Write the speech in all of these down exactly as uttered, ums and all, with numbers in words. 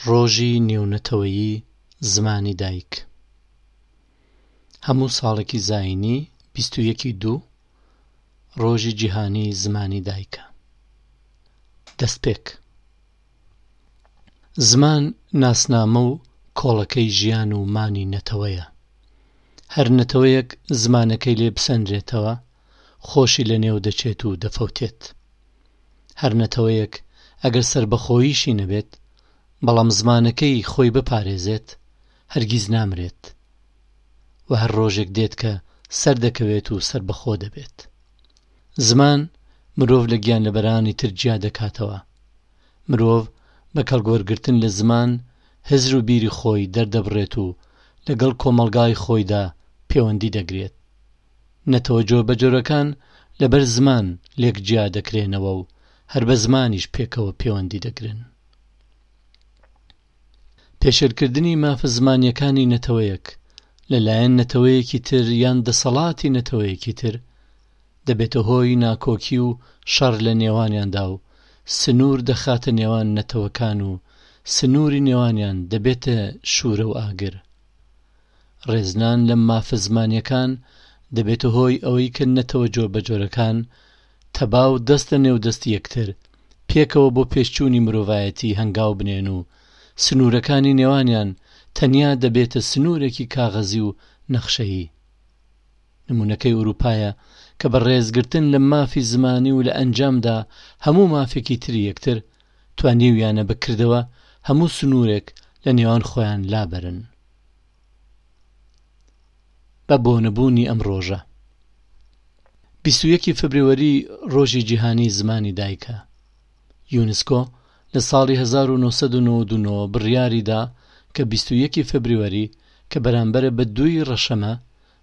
ڕۆژی نێونەتەوەیی زمانی دایک. هەموو ساڵێکی زایینی بیست و یەکی دوو ڕۆژی جیهانی زمانی دایکە. دەستپێک. زمان ناسنامە و کۆڵەکەی ژیان و مانی نەتەوەیە. هەر نەتەوەیەک زمانەکەی لێ بسەنرێتەوە خۆشی لەنێو دەچێت و دەفەوتێت. هەر نەتەوەیەک ئەگەر سەربەخۆییشی نەبێت بەڵام زمانەکەی خۆی بپارێزێت هەرگیز نامرێت و هەر ڕۆژێک دێت کە سەر دەکەوێت و سەربەخۆ دەبێت. زمان مرۆڤ لە گیانلەبەرانی تر جیا دەکاتەوە. مرۆڤ بە کەڵگوەرگرتن لە زمان هزر و بیری خۆی دەردەبڕێت و لەگەڵ کۆمەڵگای خۆیدا پەیوەندی دەگرێت. نەتەوە جۆربەجۆرەکان لەبەر زمان لێک جیا دەکرێنەوە و هەر بە زمانیش پێکەوە پەیوەندی دەگرن. پێشێلکردنی مافە زمانیەکانی نەتەوەیەک لەلایەن نەتەوەیەکی تر یان دەسەڵاتی نەتەوەیەکی تر دەبێتە هۆی ناکۆکی و شەڕ لە نێوانیاندا و سنوور دەخاتە نێوان نەتەوەکان و سنووری نێوانیان دەبێتە شوورە و ئاگر. ڕێزنان لەم مافە زمانیەکان دەبێتە هۆی ئەوەی کە نەتەوە جۆربەجۆرەکان تەبا و دەست لە نێو دەستی یەکتر پێکەوە بۆ پێشچوونی مرۆڤایەتی هەنگاو بنێن و سنوورەکانی نێوانیان تەنیا دەبێتە سنوورێکی کاغەزی و نەخشەیی. نمونەکەی ئەوروپایە کە بە ڕێزگرتن لە مافی زمانی و لە ئەنجامدا هەموو مافێکی تری یەکتر توانیویانە بکردەوە هەموو سنوورێک لە نێوان خۆیان لابەرن. بە بۆنەبوونی ئەم ڕۆژە بیست و یەکی فبرەوەری ڕۆژی جیهانی زمانی دایکە. یونسکۆ لە ساڵی هەزار و نۆ سەد و نەوەد و نۆ بڕیاریدا کە بیست و یەکی فبرەوەری کە بەرامبەرە بە دووی ڕەشەمە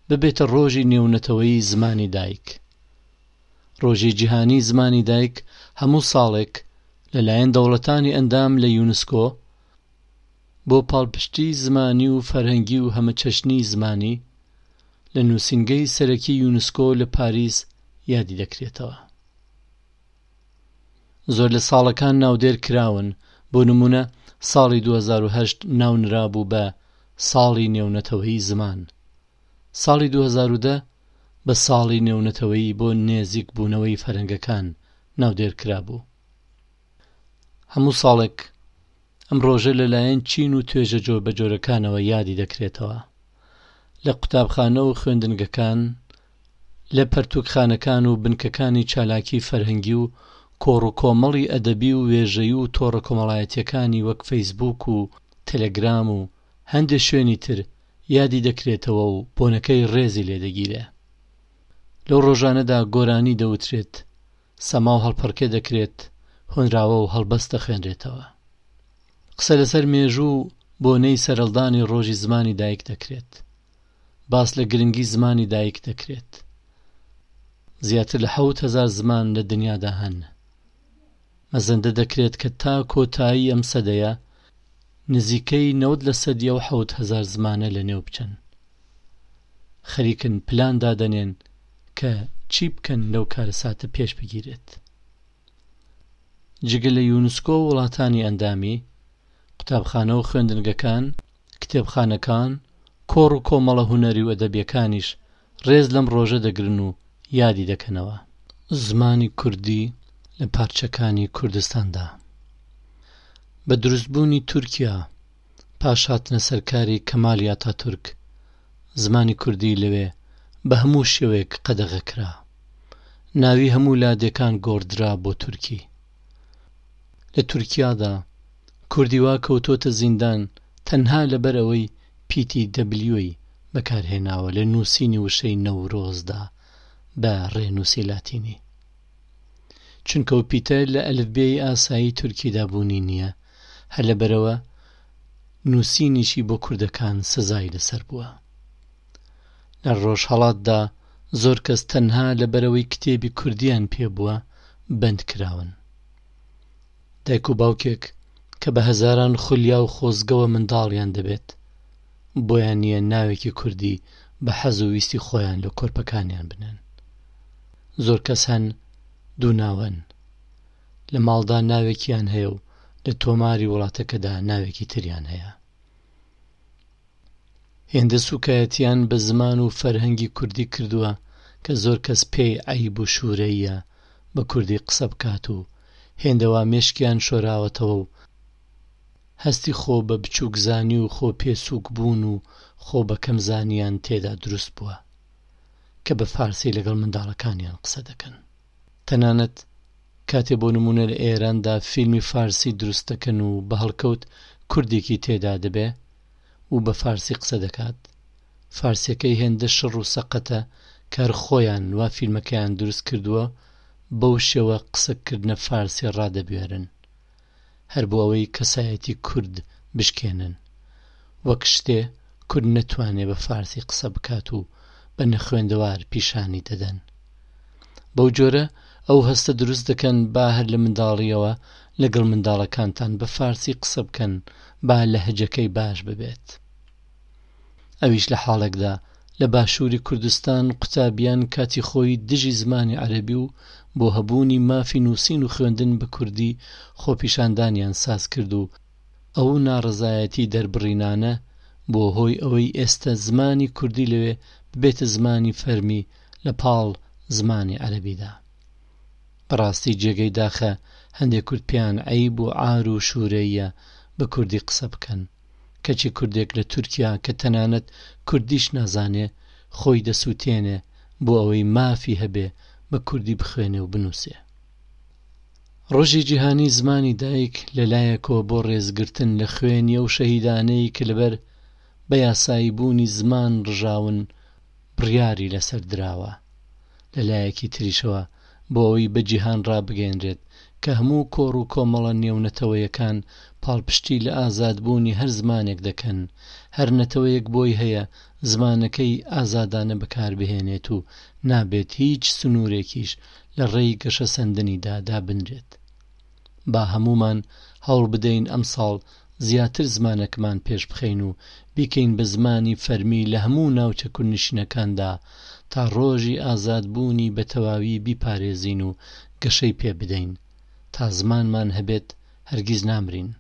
ببێتە ڕۆژی نێونەتەوەیی زمانی دایک. ڕۆژی جیهانی زمانی دایک هەموو ساڵێک لەلایەن دەوڵەتانی ئەندام لە یونسکۆ بۆ پاڵپشتی زمانی و فەرهەنگی و هەمەچەشنی زمانی لە نووسینگەی سەرەکی یونسکۆ لە پاریس یادی دەکرێتەوە. زۆر لە ساڵەکان ناودێر کراون، بۆ نمونە ساڵی دوو هەزار و هەشت ناونرابوو بە ساڵی نێونەتەوەیی زمان، ساڵی دوو هەزار و دە بە ساڵی نێونەتەوەیی بۆ نێزیک بوونەوەی فەرەنگەکان ناودێر کرابوو. هەموو ساڵێک ئەم ڕۆژە لەلایەن چین و توێژە جۆربەجۆرەکانەوە یادی دەکرێتەوە. لە قوتابخانە و خوێندنگەکان، لە پەرتوکخانەکان و بنکەکانی چالاکی فەرهەنگی و کۆڕ و کۆمەڵی ئەدەبی و وێژەیی و تۆڕە کۆمەڵایەتیەکانی وەک فەیسبوک و تەلەگرام و هەندێک شوێنی تر یادی دەکرێتەوە و بۆنەکەی ڕێزی لێدەگیرێ. لەو ڕۆژانەدا گۆرانی دەوترێت، سەما و هەڵپەڕکێ دەکرێت، هۆنراوە و هەڵبەست دەخوێنرێتەوە. قسە لەسەر مێژوو و بۆنەی سەرهەڵدانی ڕۆژی زمانی دایک دەکرێت. باس لە گرنگی زمانی دایک دەکرێت. زیاتر لە حەوت هەزار زمان لە دنیادا هەن. مەزەندە دەکرێت کە تا کۆتایی ئەم سەدەیە نزیکەی نەوەد لە سەدی ئەو حەوت هەزار زمانە لەنێو بچن. خەریکن پلان دادەنێن کە چی بکەن لەو کارەساتە پێش بگیرێت. جگە لە یونسکۆ و وڵاتانی ئەندامی، قوتابخانە و خوێندنگەکان، کتێبخانەکان، کۆڕ و کۆمەڵە هونەری و ئەدەبیەکانیش ڕێز لەم ڕۆژە دەگرن و یادی دەکەنەوە. زمانی کوردی لە پارچەکانی کوردستاندا بە دروستبوونی تورکیا پاش هاتنە سەرکاری کەمالی ئاتاتورک زمانی کوردی لەوێ بە هەموو شێوەیەک قەدەغە کرا. ناوی هەموو لادێکان گۆڕدرا بۆ تورکی. لە تورکیادا کوردی وا کەوتۆتە زیندان تەنها لەبەر ئەوەی پیتی دەبلیۆی بەکارهێناوە لە نووسینی وشەی نەورۆزدا بە ڕێنووسی لاتینی، چونکە ئەو پیتە لە ئەلفبێی ئاسایی تورکیدا بوونی نییە، هەر لەبەرەوە نووسینیشی بۆ کوردەکان سزای لەسەر بووە. لە ڕۆژهەڵاتدا زۆر کەس تەنها لەبەرەوەی کتێبی کوردیان پێبووە بەند کراون. دایک و باوکێک کە بە هەزاران خولیا و خۆزگەوە منداڵیان دەبێت بۆیان نییە ناوێکی کوردی بە حەز و ویستی خۆیان لە کۆرپەکانیان بنێن. زۆر کەس هەن دوو ناوەن، لە ماڵدا ناوێکیان هەیە و لە تۆماری وڵاتەکەدا ناوێکی تریان هەیە. هێندە سوکایەتیان بە زمان و فەرهەنگی کوردی کردووە کە زۆر کەس پێی عەیب و شوورەیە بە کوردی قسە بکات و هێندەوا مێشکیان شۆراوەتەوە و هەستی خۆ بە بچووکزانی و خۆ پێسووک بوون و خۆ بە کەمزانیان تێدا دروست بووە کە بە فارسی لەگەڵ منداڵەکانیان قسە دەکەن. تەنانەت کاتێ بۆ نموونە لە ئێراندا فیلمی فارسی دروست دەکەن و بە هەڵکەوت کوردێکی تێدا دەبێ و بە فارسی قسە دەکات، فارسیەکەی هێندە شڕ و سەقەتە کار خۆیان وا فیلمەکەیان دروست کردووە بەو شێوە قسەکردنە فارسی ڕادەبوێرن، هەر بۆ ئەوەی کەسایەتی کورد بشکێنن، وەک شتێ کورد نەتوانێ بە فارسی قسە بکات و بە نەخوێندەوار پیشانی دەدەن. بەو جۆرە ئەو هەستە دروست دەکەن با هەر لە منداڵیەوە لەگەڵ منداڵەکانتان بە فارسی قسە بکەن با لەهجەکەی باش ببێت. ئەویش لە حاڵێکدا لە باشووری کوردستان قوتابیان کاتی خۆی دژی زمانی عەرەبی و بۆ هەبوونی مافی نووسین و خوێندن بە کوردی خۆپیشاندانیان ساز کرد و ئەو ناڕەزایەتی دەربڕینانە بۆ هۆی ئەوەی ئێستا زمانی کوردی لەوێ ببێتە زمانی فەرمی لە پاڵ زمانی عەرەبیدا. بەڕاستی جێگەی داخە هەندێک کورد پێیان عەیب و عار و شوورەیە بە کوردی قسە بکەن، کەچی کوردێک لە تورکیا کە تەنانەت کوردیش نازانێ خۆی دەسووتێنێ بۆ ئەوەی مافی هەبێ بە کوردی بخوێنێ و بنووسێ. ڕۆژی جیهانی زمانی دایک لەلایەکەوە بۆ ڕێزگرتن لە خوێنی ئەو شەهیدانەی کە لەبەر بە یاسایی بوونی زمان ڕژاون بڕیاری لەسەر دراوە، لەلایەکی تریشەوە بۆ ئەوەی بە جیهان ڕابگەیەنرێت کە هەموو کۆڕ و کۆمەڵە نێونەتەوەیەکان پاڵپشتی لە ئازادبوونی هەر زمانێک دەکەن، هەر نەتەوەیەک بۆی هەیە زمانەکەی ئازادانە بەکاربهێنێت و نابێت هیچ سنوورێکیش لە ڕێی گەشەسەندنیدا دابنرێت. با هەموومان هەوڵ بدەین ئەمساڵ زیاتر زمانەکەمان پێش بخەین و بیکەین بە زمانی فەرمی لە هەموو ناوچە کوردنشینەکاندا تا ڕۆژی ئازادبوونی بە تەواوی بیپارێزین و گەشەی پێ بدەین. تا زمانمان هەبێت هەرگیز نامرین.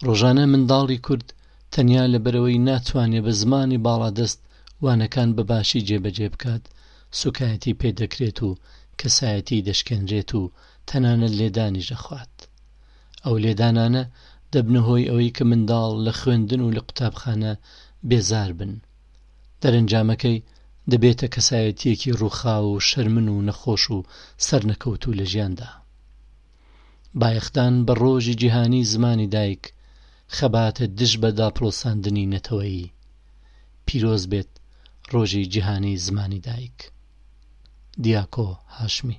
ڕۆژانە منداڵی کورد تەنیا لەبەرەوەی ناتوانێ بە زمانی باڵادەست وانەکان بە باشی جێبەجێ بکات سوکایەتی پێدەکرێت و کەسایەتی دەشکێنرێت و تەنانەت لێدانیش دەخوات. ئەو لێدانانە دەبنە هۆی ئەوەی کە منداڵ لە خوێندن و لە قوتابخانە بێزار بن. دەرەنجامەکەی دەبێتە کەسایەتیەکی ڕووخاو و شەرمن و نەخۆش و سەرنەکەوتوو لە ژیاندا. بایەخدان بە ڕۆژی جیهانی زمانی دایک خەباتە دژ بە داپڵۆساندنی نەتەوەیی. پیرۆز بێت ڕۆژی جیهانی زمانی دایک. دیاکۆ هاشمی.